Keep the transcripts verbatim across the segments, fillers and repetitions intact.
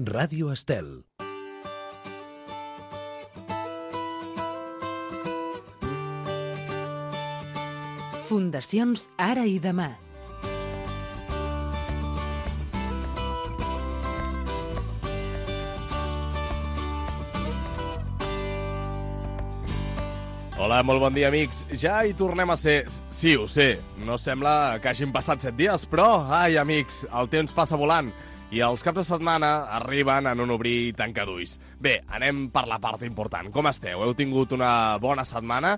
Ràdio Estel. Fundacions Ara i Demà. Hola, molt bon dia, amics. Ja hi tornem a ser. Sí, ho sé, no sembla que hagin passat set dies, però, ai, amics, el temps passa volant i els caps de setmana arriben en un obrir i tancar d'ulls. Bé, anem per la part important. Com esteu? Heu tingut una bona setmana?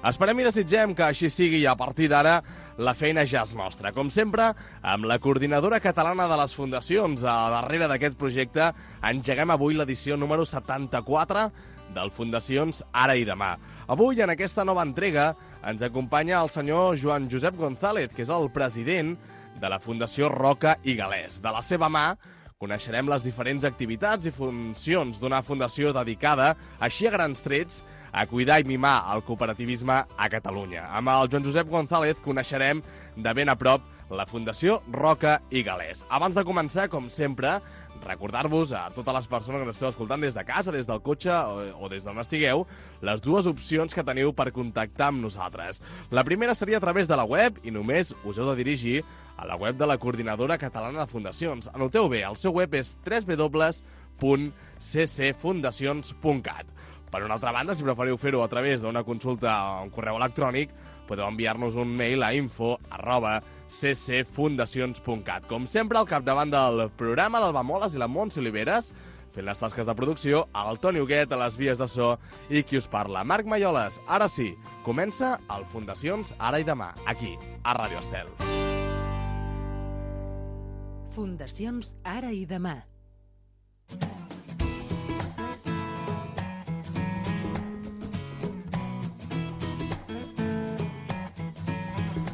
Esperem i desitgem que així sigui i a partir d'ara la feina ja és nostra. Com sempre, amb la coordinadora catalana de les fundacions a darrere d'aquest projecte, engeguem avui l'edició número setanta-quatre del Fundacions Ara i Demà. Avui, en aquesta nova entrega, ens acompanya el senyor Joan Josep González, que és el president de la Fundació Roca i Galès. De la seva mà, coneixerem les diferents activitats i funcions d'una fundació dedicada, així a grans trets, a cuidar i mimar el cooperativisme a Catalunya. Amb el Joan Josep González coneixerem de ben a prop la Fundació Roca i Galès. Abans de començar, com sempre, recordar-vos a totes les persones que ens esteu escoltant des de casa, des del cotxe o, o des d'on estigueu, les dues opcions que teniu per contactar amb nosaltres. La primera seria a través de la web i només us heu de dirigir a la web de la Coordinadora Catalana de Fundacions. Anoteu bé, el seu web és w w w punt c c fundacions punt cat. Per una altra banda, si preferiu fer-ho a través d'una consulta o un correu electrònic, podeu enviar-nos un mail a info arroba c c fundacions punt cat. Com sempre, al capdavant del programa, l'Alba Moles i la Montse Oliveres, fent les tasques de producció, el Toni Huguet a les vies de so i qui us parla, Marc Maioles. Ara sí, comença el Fundacions Ara i Demà, aquí, a Ràdio Estel. Fundacions Ara i Demà.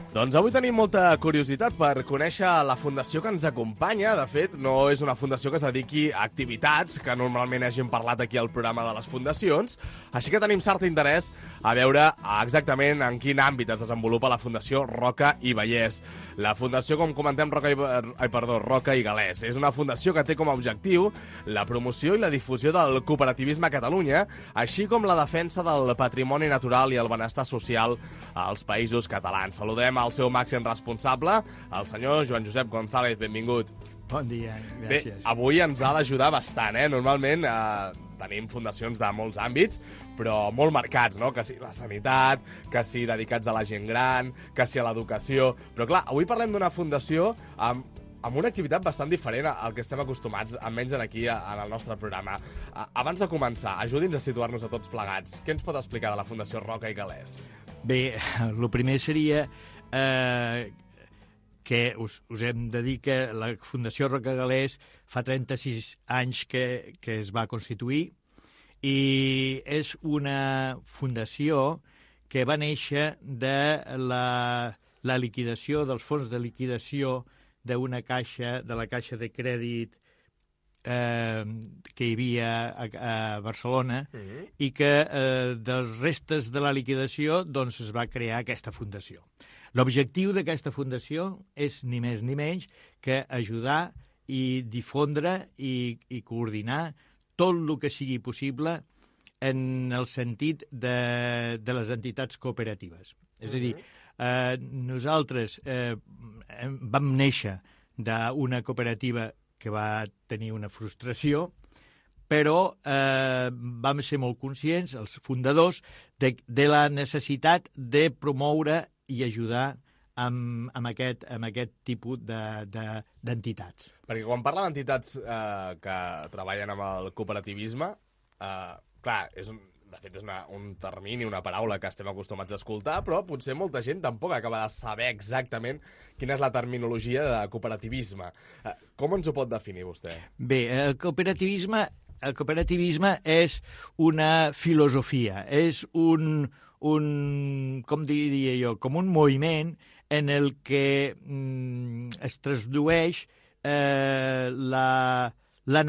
Doncs avui tenim molta curiositat per conèixer la fundació que ens acompanya. De fet, no és una fundació que es dediqui a activitats que normalment hagin parlat aquí al programa de les fundacions, així que tenim cert interès a veure exactament en quin àmbit es desenvolupa la Fundació Roca i Vallès. La fundació, com comentem, Roca i, ai, perdó, Roca i Galès, és una fundació que té com a objectiu la promoció i la difusió del cooperativisme a Catalunya, així com la defensa del patrimoni natural i el benestar social als països catalans. Saludem al seu màxim responsable, el senyor Joan Josep González. Benvingut. Bon dia, gràcies. Bé, avui ens ha d'ajudar bastant, eh? Normalment eh, tenim fundacions de molts àmbits, però molt marcats, no? Que si la sanitat, que si dedicats a la gent gran, que si a l'educació. Però clar, avui parlem d'una fundació amb, amb una activitat bastant diferent al que estem acostumats, almenys aquí en el nostre programa. Abans de començar, ajudi'ns a situar-nos a tots plegats. Què ens pot explicar de la Fundació Roca i Galès? Bé, el primer seria eh, que us, us hem de dir que la Fundació Roca i Galès fa trenta-sis anys que, que es va constituir i és una fundació que va néixer de la, la liquidació, dels fons de liquidació d'una caixa, de la caixa de crèdit eh, que hi havia a, a Barcelona, uh-huh. i que eh, dels restes de la liquidació doncs, es va crear aquesta fundació. L'objectiu d'aquesta fundació és ni més ni menys que ajudar i difondre i, i coordinar tot el que sigui possible en el sentit de, de les entitats cooperatives. Uh-huh. És a dir, eh, nosaltres eh, vam néixer d'una cooperativa que va tenir una frustració, però eh, vam ser molt conscients, els fundadors, de, de la necessitat de promoure i ajudar amb, amb, aquest, amb aquest tipus de, de, d'entitats. Perquè quan parla d'entitats eh, que treballen amb el cooperativisme, eh, clar, és un, de fet és una, un termini, una paraula que estem acostumats a escoltar, però potser molta gent tampoc acaba de saber exactament quina és la terminologia de cooperativisme. Eh, com ens ho pot definir vostè? Bé, el cooperativisme, el cooperativisme és una filosofia, és un, un, com diria jo, com un moviment en el que mm, es tradueix eh, la, la,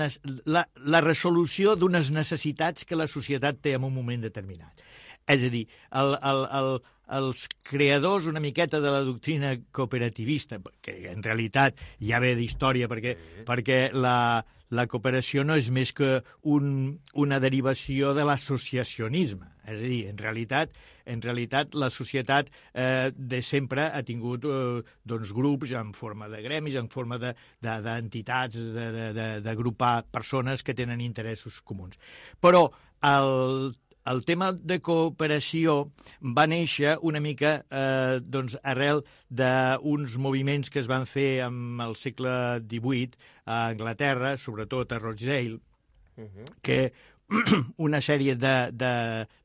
la, la resolució d'unes necessitats que la societat té en un moment determinat. És a dir, el, el, el, els creadors una miqueta de la doctrina cooperativista, que en realitat ja ve d'història, perquè, sí. perquè la, la cooperació no és més que un, una derivació de l'associacionisme. És a dir, en realitat, en realitat la societat eh, de sempre ha tingut eh, doncs, grups en forma de gremis, en forma d'entitats, de, de, de, de, d'agrupar persones que tenen interessos comuns. Però el El tema de cooperació va néixer una mica eh, doncs, arrel d'uns moviments que es van fer en el segle divuit a Anglaterra, sobretot a Rochdale, uh-huh. que una sèrie de, de,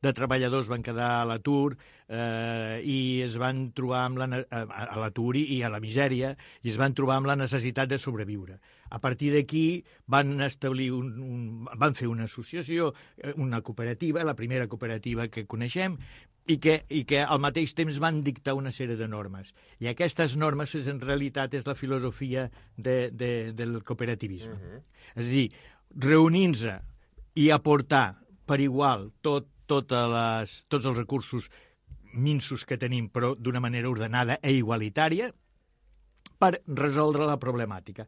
de treballadors van quedar a l'atur eh, i es van trobar amb la, a l'atur i a la misèria i es van trobar amb la necessitat de sobreviure. A partir d'aquí van establir un, un, van fer una associació, una cooperativa, la primera cooperativa que coneixem, i que, i que al mateix temps van dictar una sèrie de normes. I aquestes normes, en realitat, és la filosofia de, de, del cooperativisme. Uh-huh. És a dir, reunint-se i aportar per igual tot, totes les, tots els recursos minsos que tenim, però d'una manera ordenada i igualitària, per resoldre la problemàtica.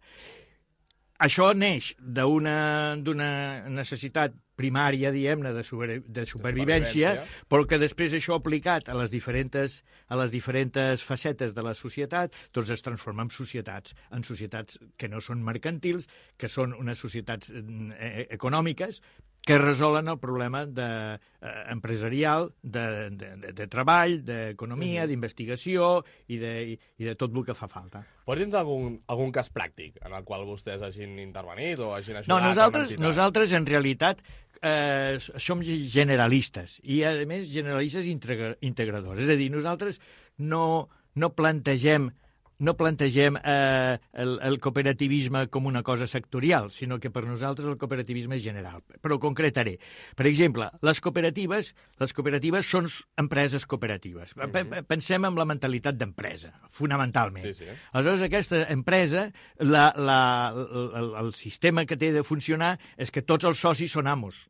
Això neix d'una necessitat primària, diguem-ne, de, super, de supervivència, supervivència, però que després això aplicat a les diferents, a les diferents facetes de la societat, doncs es transforma en societats, en societats que no són mercantils, que són unes societats eh, econòmiques, que resolen el problema de, eh, empresarial, de, de, de, de treball, d'economia, uh-huh. d'investigació i de, i, i de tot el que fa falta. Pots dir-nos algun, algun cas pràctic en el qual vostès hagin intervenit o hagin ajudat? No, nosaltres, nosaltres en realitat eh, som generalistes i, a més, generalistes integradors. És a dir, nosaltres no, no plantegem no plantegem eh, el, el cooperativisme com una cosa sectorial, sinó que per nosaltres el cooperativisme és general. Però concretaré. Per exemple, les cooperatives, les cooperatives són empreses cooperatives. Mm-hmm. Pensem en la mentalitat d'empresa, fonamentalment. Sí, sí. Aleshores, aquesta empresa, la, la, el, el sistema que té de funcionar és que tots els socis són amos.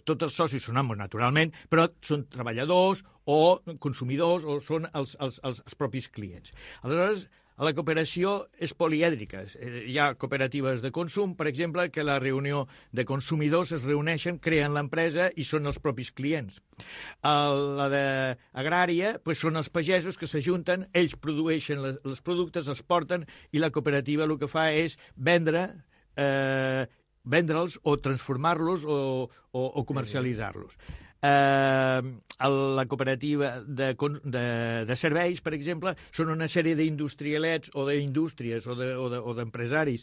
Tots els socis són amos, naturalment, però són treballadors o consumidors o són els, els, els, els propis clients. Aleshores, la cooperació és polièdrica. Hi ha cooperatives de consum, per exemple, que la reunió de consumidors es reuneixen, creen l'empresa i són els propis clients. La d'agrària doncs són els pagesos que s'ajunten, ells produeixen les, els productes, els porten, i la cooperativa el que fa és vendre eh, vendre'ls o transformar-los o, o, o comercialitzar-los. Eh, la cooperativa de, de, de serveis, per exemple, són una sèrie d'industrialets o d'indústries o d'empresaris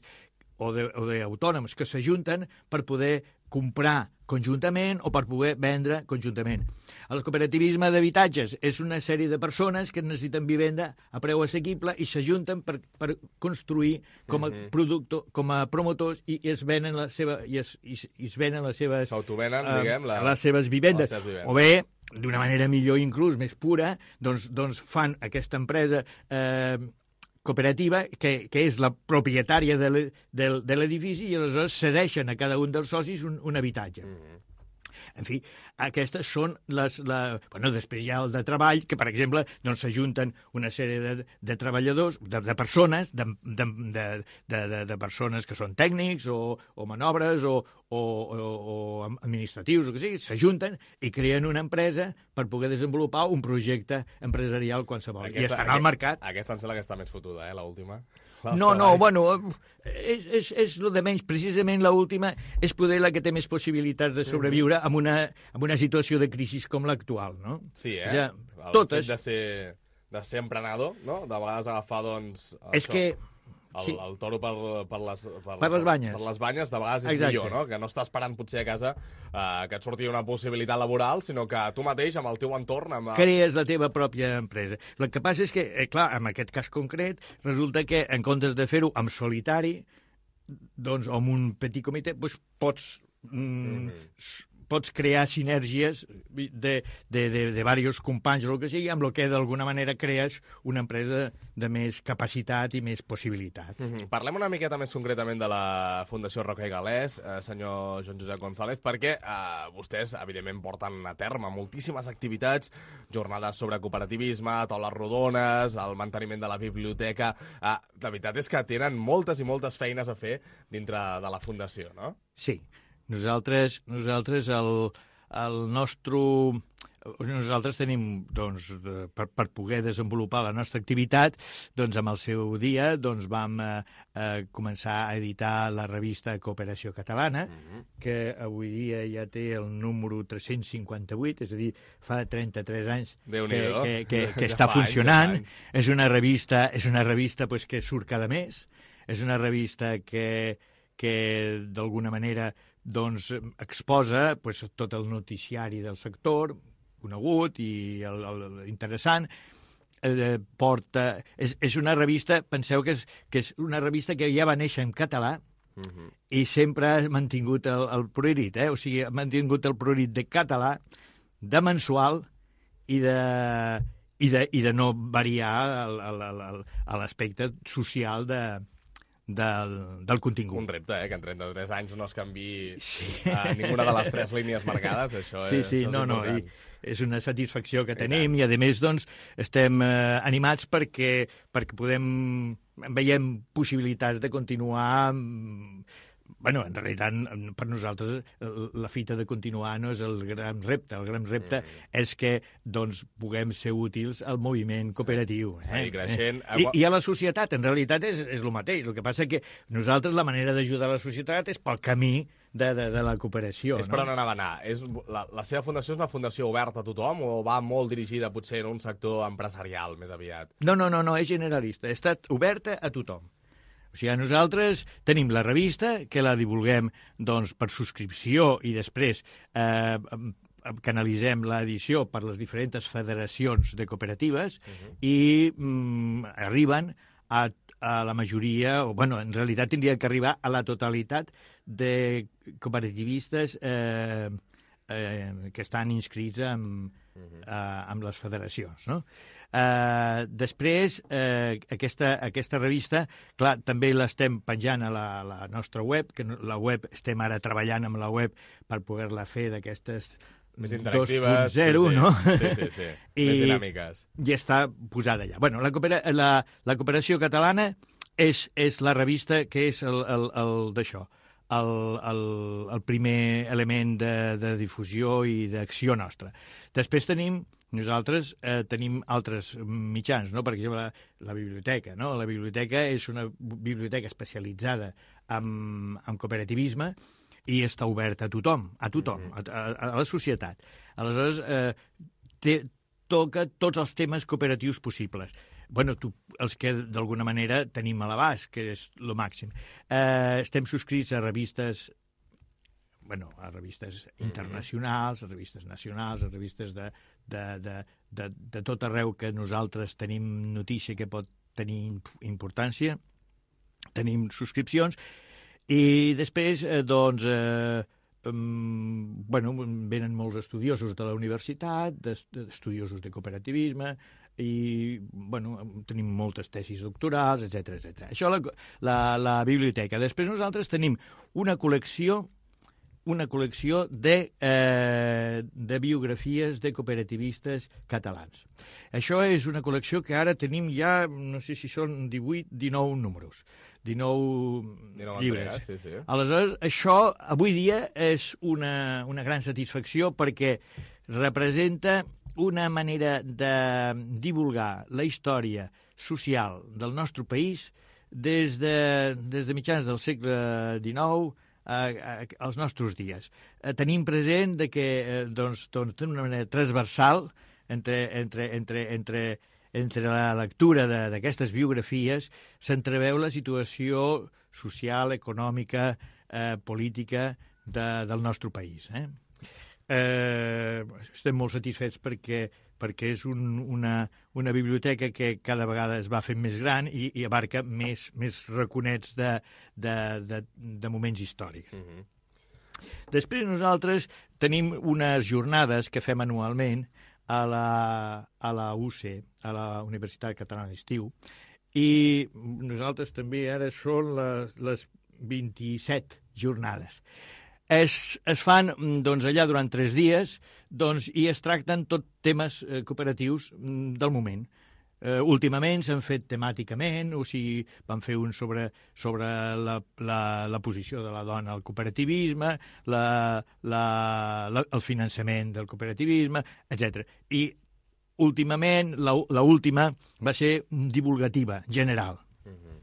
o d'autònoms que s'ajunten per poder comprar conjuntament o per poder vendre conjuntament. El cooperativisme d'habitatges és una sèrie de persones que necessiten vivenda a preu assequible i s'ajunten per, per construir com a, uh-huh. productor, com a promotors i, i es venen la seva, i es, i, i es venen les seves, s'autovenen, uh, diguem, la, les seves vivendes. Les seves vivendes. O bé, d'una manera millor inclús, més pura, doncs, doncs fan aquesta empresa eh, cooperativa, que, que és la propietària de l'edifici, i aleshores cedeixen a cada un dels socis un, un habitatge. Mm-hmm. En fi, aquestes són les... La... Bueno, després hi ha el de treball, que, per exemple, doncs s'ajunten una sèrie de, de treballadors, de, de persones, de, de, de, de, de persones que són tècnics o, o manobres o, o, o, o administratius, o que sigui, s'ajunten i creen una empresa per poder desenvolupar un projecte empresarial qualsevol. Aquesta, I estan al mercat. Aquesta em sembla que està més fotuda, eh, l'última. No, no, bueno, és, és, és el de menys. Precisament l'última és poder la que té més possibilitats de sobreviure amb una, amb una situació de crisi com l'actual, no? Sí, eh? Ja, el totes... fet de ser, de ser emprenedor, no? De vegades agafar, doncs... És això. que... El, sí. el toro per, per, les, per, per les banyes. Per les banyes, de vegades és Exacte. millor, no? Que no estàs esperant potser a casa eh, que et surti una possibilitat laboral, sinó que tu mateix, amb el teu entorn... Amb... crees la teva pròpia empresa. El que passa és que, eh, clar, en aquest cas concret, resulta que en comptes de fer-ho en solitari, doncs, o amb un petit comitè, doncs pots... Mm, mm-hmm. pots crear sinergies de, de, de, de diversos companys o el que sigui, amb el que d'alguna manera crees una empresa de més capacitat i més possibilitats. Mm-hmm. Parlem una miqueta més concretament de la Fundació Roca i Galès, eh, senyor Joan Josep González, perquè eh, vostès, evidentment, porten a terme moltíssimes activitats, jornades sobre cooperativisme, taules rodones, el manteniment de la biblioteca... Eh, la veritat és que tenen moltes i moltes feines a fer dintre de la Fundació, no? Sí. Nosaltres, nosaltres el, el nostre... Nosaltres tenim, doncs, per, per poder desenvolupar la nostra activitat, doncs, amb el seu dia, doncs, vam eh, eh, començar a editar la revista Cooperació Catalana, mm-hmm. que avui dia ja té el número tres-cents cinquanta-vuit, és a dir, fa trenta-tres anys que, que, que, que està funcionant. És una revista, és una revista pues, que surt cada mes, és una revista que, que d'alguna manera doncs, exposa pues, tot el noticiari del sector, conegut i el, el, interessant, eh, porta... És, és una revista, penseu que és, que és una revista que ja va néixer en català, uh-huh. i sempre ha mantingut el, el priorit, eh? O sigui, ha mantingut el priorit de català, de mensual i de, i de, i de no variar l'aspecte social de... Del, del contingut. Un repte, eh? Que en trenta-tres anys no es canvi sí. a ninguna de les tres línies marcades, això, sí, és, sí, això és no, important. No, i és una satisfacció que tenim i, a més, doncs, estem eh, animats perquè, perquè podem, veiem possibilitats de continuar... Bueno, en realitat, per nosaltres, la fita de continuar no és el gran repte. El gran repte mm. és que doncs, puguem ser útils al moviment cooperatiu. Sí, eh? seguir creixent. I, I a la societat, en realitat, és, és el mateix. El que passa que nosaltres la manera d'ajudar la societat és pel camí de, de, de la cooperació. És no? per on anava a anar. És, la, la seva fundació és una fundació oberta a tothom o va molt dirigida potser en un sector empresarial més aviat? No, no, no, no és generalista. Ha estat oberta a tothom. O sigui, nosaltres tenim la revista, que la divulguem doncs, per subscripció i després eh, canalitzem l'edició per les diferents federacions de cooperatives uh-huh. i mm, arriben a, a la majoria, o bueno, en realitat tindria que arribar a la totalitat de cooperativistes eh, eh, que estan inscrits amb, uh-huh. eh, amb les federacions, no? Uh, després, uh, aquesta, aquesta revista, clar, també l'estem penjant a la, la nostra web, que la web, estem ara treballant amb la web per poder-la fer d'aquestes més interactives, dos punt zero, sí, sí. no? Sí, sí, sí. I, més dinàmiques. I està posada allà. Bueno, la, coopera, la, la cooperació catalana és, és la revista que és el, el, el d'això, el, el, el primer element de, de difusió i d'acció nostra. Després tenim Nosaltres eh, tenim altres mitjans, no? Per exemple, la, la biblioteca. No? La biblioteca és una biblioteca especialitzada en, en cooperativisme i està oberta a tothom, a tothom, mm-hmm. a, a, a la societat. Aleshores, eh, té, toca tots els temes cooperatius possibles. Bueno, tu, els que d'alguna manera tenim a l'abast, que és el màxim. Eh, estem subscrits a revistes... bueno, a revistes internacionals, a revistes nacionals, a revistes de, de, de, de, de tot arreu que nosaltres tenim notícia que pot tenir importància, tenim subscripcions, i després, eh, doncs, eh, um, bueno, venen molts estudiosos de la universitat, estudiosos de cooperativisme, i, bueno, tenim moltes tesis doctorals, etcètera, etcètera. Això la, la, la biblioteca. Després nosaltres tenim una col·lecció una col·lecció de, eh, de biografies de cooperativistes catalans. Això és una col·lecció que ara tenim ja, no sé si són divuit, dinou números, dinou, dinou llibres. Entregues, sí, sí. Aleshores, això avui dia és una, una gran satisfacció perquè representa una manera de divulgar la història social del nostre país des de, des de mitjans del segle dinou als nostres dies. Eh, tenim present de que eh, doncs, doncs, d'una manera transversal entre, entre, entre, entre, entre la lectura d'aquestes biografies s'entreveu la situació social, econòmica, eh, política de, del nostre país. Eh? Eh, estem molt satisfets perquè perquè és un, una, una biblioteca que cada vegada es va fent més gran i, i abarca més, més raconets de, de, de, de moments històrics. Mm-hmm. Després nosaltres tenim unes jornades que fem anualment a la, a la U C, a la Universitat Catalana d'Estiu, i nosaltres també ara són les, les vint-i-set jornades. Es, es fan doncs, allà durant tres dies doncs, i es tracten tot temes eh, cooperatius del moment. Eh, últimament s'han fet temàticament, o sigui, van fer un sobre, sobre la, la, la posició de la dona al cooperativisme, la, la, la, el finançament del cooperativisme, etcètera. I últimament, la, la última va ser divulgativa, general. Mm-hmm.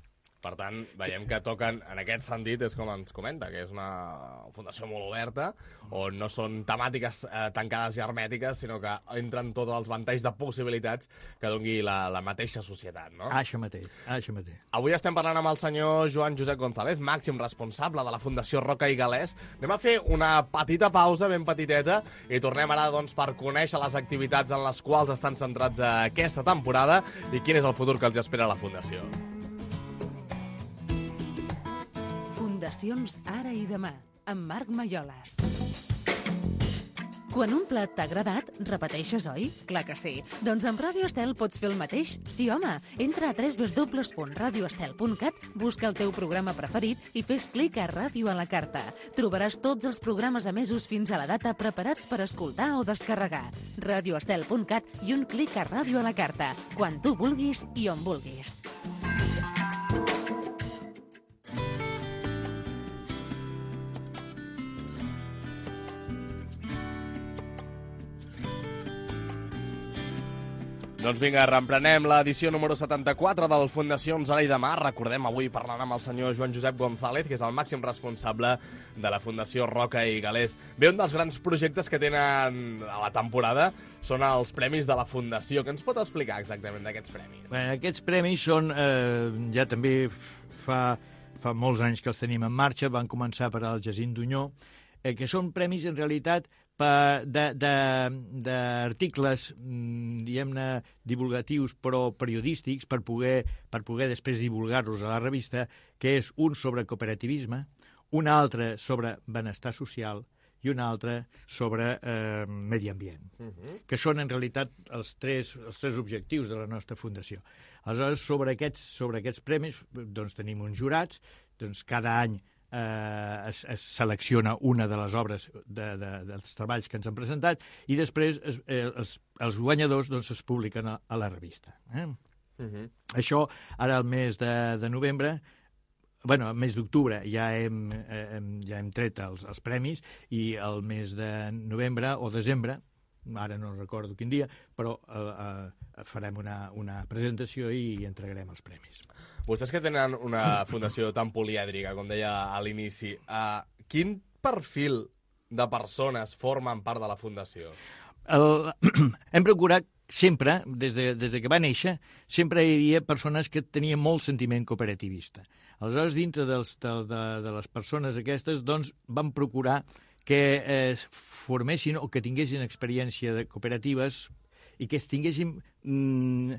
Per tant, veiem que toquen, en aquest sentit, és com ens comenta, que és una fundació molt oberta, on no són temàtiques eh, tancades i hermètiques, sinó que entren tots els ventalls de possibilitats que doni la, la mateixa societat, no? Això mateix, això mateix. Avui estem parlant amb el senyor Joan Josep González, màxim responsable de la Fundació Roca i Galès. Anem a fer una petita pausa, ben petiteta, i tornem ara doncs, per conèixer les activitats en les quals estan centrats aquesta temporada i quin és el futur que els espera a la Fundació. Fundacions Ara i Demà, amb Marc Maiolas. Quan un plat t'ha agradat, repeteixes, oi? Clar que sí. Doncs amb Ràdio Estel pots fer el mateix? Sí, home. Entra a w w w punt radio estel punt cat, busca el teu programa preferit i fes clic a Ràdio a la carta. Trobaràs tots els programes emesos fins a la data preparats per escoltar o descarregar. radio estel punt cat i un clic a Ràdio a la carta. Quan tu vulguis i on vulguis. Doncs vinga, reemprenem l'edició número setanta-quatre del Fundacions Ara i Demà. Recordem, avui parlant amb el senyor Joan Josep González, que és el màxim responsable de la Fundació Roca i Galès. Bé, un dels grans projectes que tenen a la temporada són els premis de la Fundació. Què ens pot explicar exactament d'aquests premis? Bé, aquests premis són, eh, ja també fa, fa molts anys que els tenim en marxa, van començar per al Jacint Dunyó, eh, que són premis en realitat d'articles, diguem-ne, divulgatius però periodístics per poder, per poder després divulgar-los a la revista, que és un sobre cooperativisme, un altre sobre benestar social i un altre sobre eh, medi ambient, uh-huh. que són en realitat els tres, els tres objectius de la nostra fundació. Aleshores, sobre aquests, sobre aquests premis doncs, tenim uns jurats, doncs cada any Eh, es, es selecciona una de les obres de, de, dels treballs que ens han presentat i després es, eh, els, els guanyadors doncs, es publiquen a, a la revista. Eh? Uh-huh. Això, ara al mes de, de novembre, bueno, al mes d'octubre ja hem, eh, ja hem tret els, els premis i al mes de novembre o desembre, ara no recordo quin dia, però eh, eh, farem una, una presentació i entregarem els premis. Vostès que tenen una fundació tan polièdrica, com deia a l'inici, eh, quin perfil de persones formen part de la fundació? El, hem procurat sempre, des de, des de que va néixer, sempre hi havia persones que tenien molt sentiment cooperativista. Aleshores, dintre dels, de, de, de les persones aquestes, doncs, vam procurar que es formessin o que tinguessin experiència de cooperatives i que es tinguessin mm,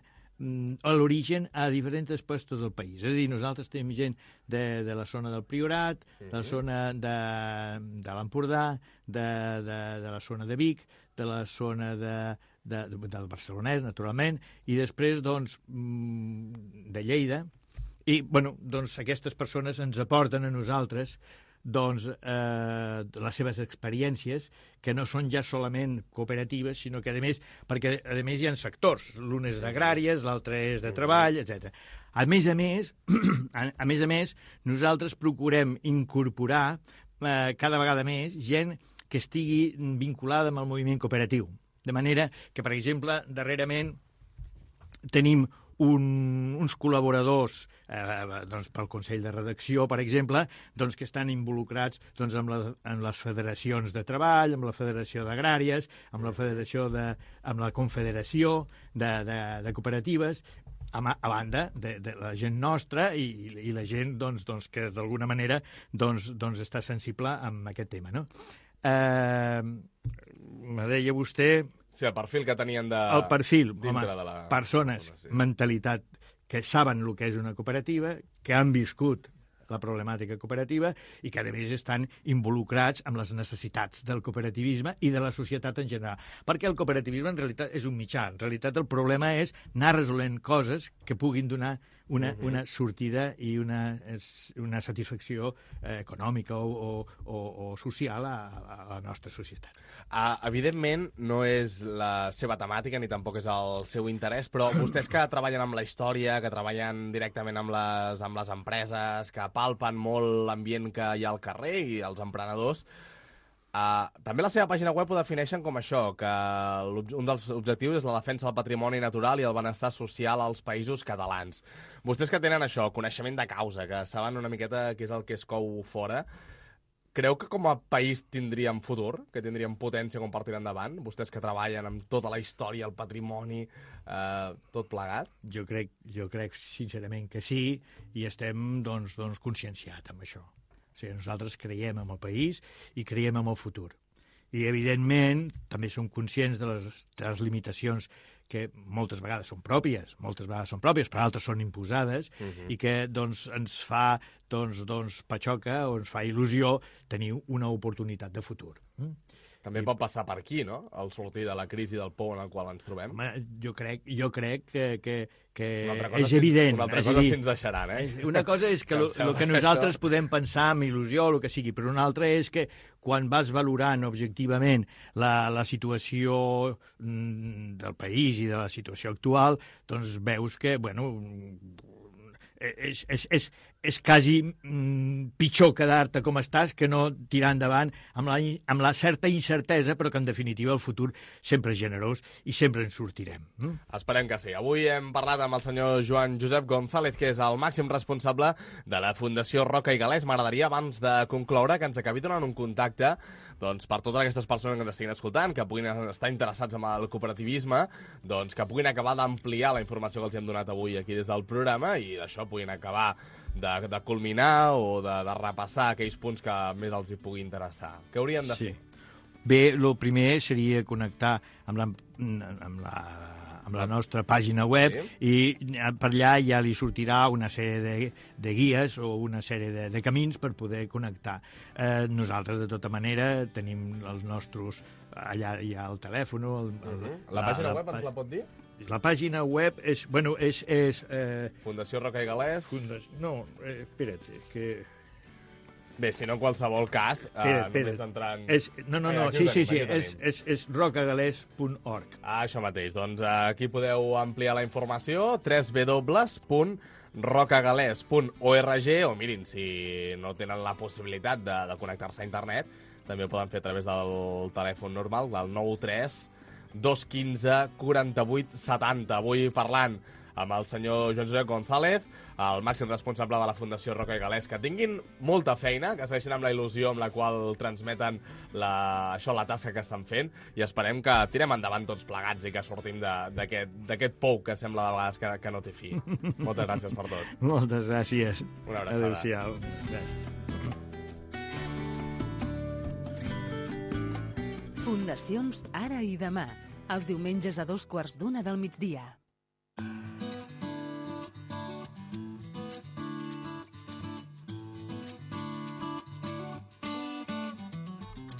a l'origen a diferents puestos del país. És a dir, nosaltres tenim gent de, de la zona del Priorat, de la zona de, de l'Empordà, de, de, de la zona de Vic, de la zona de, de, de, del Barcelonès, naturalment, i després, doncs, de Lleida. I, bueno, doncs, aquestes persones ens aporten a nosaltres doncs, eh, les seves experiències, que no són ja solament cooperatives, sinó que, a més, perquè, a més, hi ha sectors. L'un és d'agràries, l'altre és de treball, etcètera. A més a més, a més a més, nosaltres procurem incorporar eh, cada vegada més gent que estigui vinculada amb el moviment cooperatiu. De manera que, per exemple, darrerament tenim Un, uns col·laboradors eh, doncs, pel Consell de Redacció, per exemple, doncs, que estan involucrats doncs, amb, la, amb les federacions de treball, amb la Federació d'Agràries, amb la Federació de, amb la Confederació de, de, de Cooperatives, a, a banda de, de la gent nostra i, i la gent doncs, doncs, que d'alguna manera doncs, doncs, està sensible amb aquest tema. No? Eh, me deia vostè... Sí, el perfil que tenien de... El perfil, home, de la... persones, sí. Mentalitat, que saben el que és una cooperativa, que han viscut la problemàtica cooperativa i que, a més, estan involucrats amb les necessitats del cooperativisme i de la societat en general. Perquè el cooperativisme, en realitat, és un mitjà. En realitat, el problema és anar resolent coses que puguin donar una, uh-huh. una sortida i una, una satisfacció eh, econòmica o, o, o social a, a la nostra societat. Uh, evidentment, no és la seva temàtica ni tampoc és el seu interès, però vostès que treballen amb la història, que treballen directament amb les, amb les empreses, que palpen molt l'ambient que hi ha al carrer i els emprenedors, uh, també la seva pàgina web ho defineixen com això, que un dels objectius és la defensa del patrimoni natural i el benestar social als països catalans. Vostès que tenen això, coneixement de causa, que saben una miqueta què és el que es cou fora, creu que com a país tindríem futur, que tindríem potència com per tirar endavant? Vostès que treballen amb tota la història, el patrimoni, eh, tot plegat? Jo crec, jo crec sincerament que sí, i estem doncs, doncs, conscienciats amb això. O sigui, nosaltres creiem en el país i creiem en el futur. I, evidentment, també som conscients de les, de les limitacions que moltes vegades són pròpies, moltes vegades són pròpies, però altres són imposades, uh-huh. i que doncs, ens fa doncs, doncs, patxoca o ens fa il·lusió tenir una oportunitat de futur. Mm? També pot passar per aquí, no?, el sortir de la crisi del pou en el qual ens trobem. Home, jo crec, jo crec que, que, que és si, evident. Una altra és cosa dir, si ens deixaran, eh? Una cosa és que el que, que nosaltres podem pensar amb il·lusió o el que sigui, però una altra és que quan vas valorant objectivament la, la situació del país i de la situació actual, doncs veus que, bueno, és, és, és, és quasi mm, pitjor quedar-te com estàs que no tirar endavant amb la, amb la certa incertesa, però que en definitiva el futur sempre és generós i sempre ens sortirem. Mm? Esperem que sí. Avui hem parlat amb el senyor Joan Josep González, que és el màxim responsable de la Fundació Roca i Galès. M'agradaria, abans de concloure, que ens acabi donant un contacte doncs, per totes aquestes persones que ens estiguin escoltant, que puguin estar interessats en el cooperativisme, doncs, que puguin acabar d'ampliar la informació que els hem donat avui aquí des del programa i d'això puguin acabar de, de culminar o de, de repassar aquells punts que més els hi pugui interessar. Què haurien de sí. fer? Bé, el primer seria connectar amb la, amb la, amb la nostra pàgina web, sí. i per allà ja li sortirà una sèrie de, de guies o una sèrie de, de camins per poder connectar. Eh, nosaltres, de tota manera, tenim els nostres... Allà hi ha el telèfon... El, el, uh-huh. La, la pàgina la, web ens la pot dir? La pàgina web és... Bueno, és... és eh, Fundació Roca i Galès... Fundació, no, eh, espera't, que... Bé, si no, en qualsevol cas, espera, eh, espera. només entrant... És, no, no, no, Ai, sí, tenim, sí, sí, és, és, és rocagalès punt org. Ah, això mateix. Doncs eh, aquí podeu ampliar la informació, w w w punt rocagalès punt org, o mirin, si no tenen la possibilitat de, de connectar-se a internet, també ho poden fer a través del telèfon normal, del nou tres dos un cinc quaranta-vuit setanta. Avui parlant amb el senyor Joan Josep González, el màxim responsable de la Fundació Roca i Galès. Que tinguin molta feina, que segueixin amb la il·lusió amb la qual transmeten la, això, la tasca que estan fent, i esperem que tirem endavant tots plegats i que sortim d'aquest pou que sembla de vegades que, que no té fi. Moltes gràcies per tot. Moltes gràcies. Una abraçada. Adéu-siau. Fundacions Ara i Demà, els diumenges a dos quarts d'una del migdia.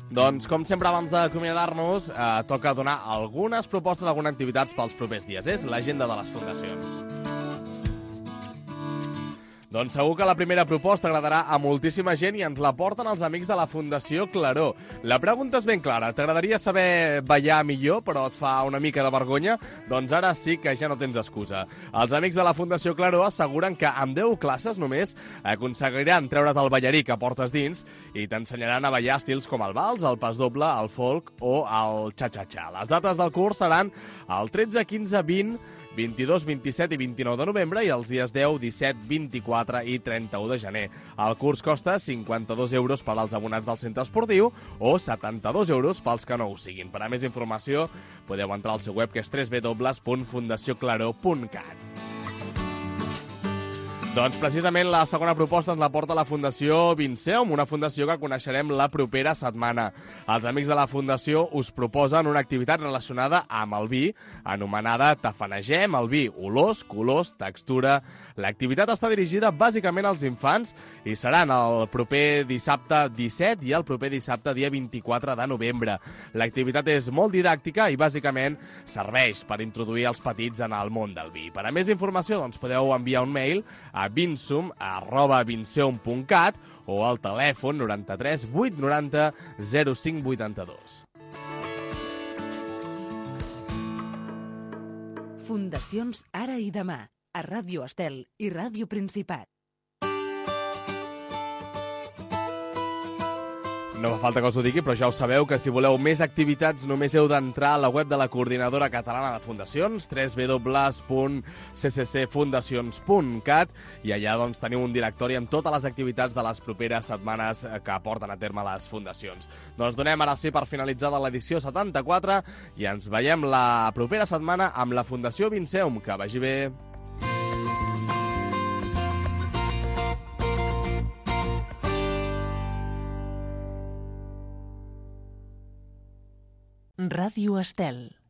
Doncs, com sempre, abans d'acomiadar-nos, eh, toca donar algunes propostes, algunes activitats pels propers dies. És l'agenda de les fundacions. Doncs segur que la primera proposta agradarà a moltíssima gent i ens la porten els amics de la Fundació Claró. La pregunta és ben clara. T'agradaria saber ballar millor, però et fa una mica de vergonya? Doncs ara sí que ja no tens excusa. Els amics de la Fundació Claró asseguren que amb deu classes només aconseguiran treure't el ballarí que portes dins i t'ensenyaran a ballar estils com el vals, el pas doble, el folk o el xa-xa-xa. Les dates del curs seran el tretze, quinze, vint, vint-i-dos, vint-i-set i vint-i-nou de novembre i els dies deu, disset, vint-i-quatre i trenta-u de gener. El curs costa cinquanta-dos euros per als abonats del centre esportiu o setanta-dos euros pels que no ho siguin. Per a més informació podeu entrar al seu web, que és w w w punt fundació claró punt cat. Doncs precisament la segona proposta ens la porta la Fundació Vinceum, una fundació que coneixerem la propera setmana. Els amics de la fundació us proposen una activitat relacionada amb el vi, anomenada Tafanegem el vi, olors, colors, textura. L'activitat està dirigida bàsicament als infants i seran el proper dissabte disset i el proper dissabte dia vint-i-quatre de novembre. L'activitat és molt didàctica i bàsicament serveix per introduir els petits en el món del vi. Per a més informació doncs, podeu enviar un mail a vinsum arroba vinceum punt cat o al telèfon noranta-tres vuit noranta zero cinc vuitanta-dos. Fundacions Ara i Demà, a Ràdio Estel i Ràdio Principat. No fa falta que us ho digui, però ja ho sabeu que si voleu més activitats només heu d'entrar a la web de la Coordinadora Catalana de Fundacions, w w w punt c c c fundacions punt cat, i allà doncs, teniu un directori amb totes les activitats de les properes setmanes que porten a terme les fundacions. Doncs donem ara sí per finalitzada l'edició setanta-quatre i ens veiem la propera setmana amb la Fundació Vinceum. Que vagi bé! Ràdio Estel.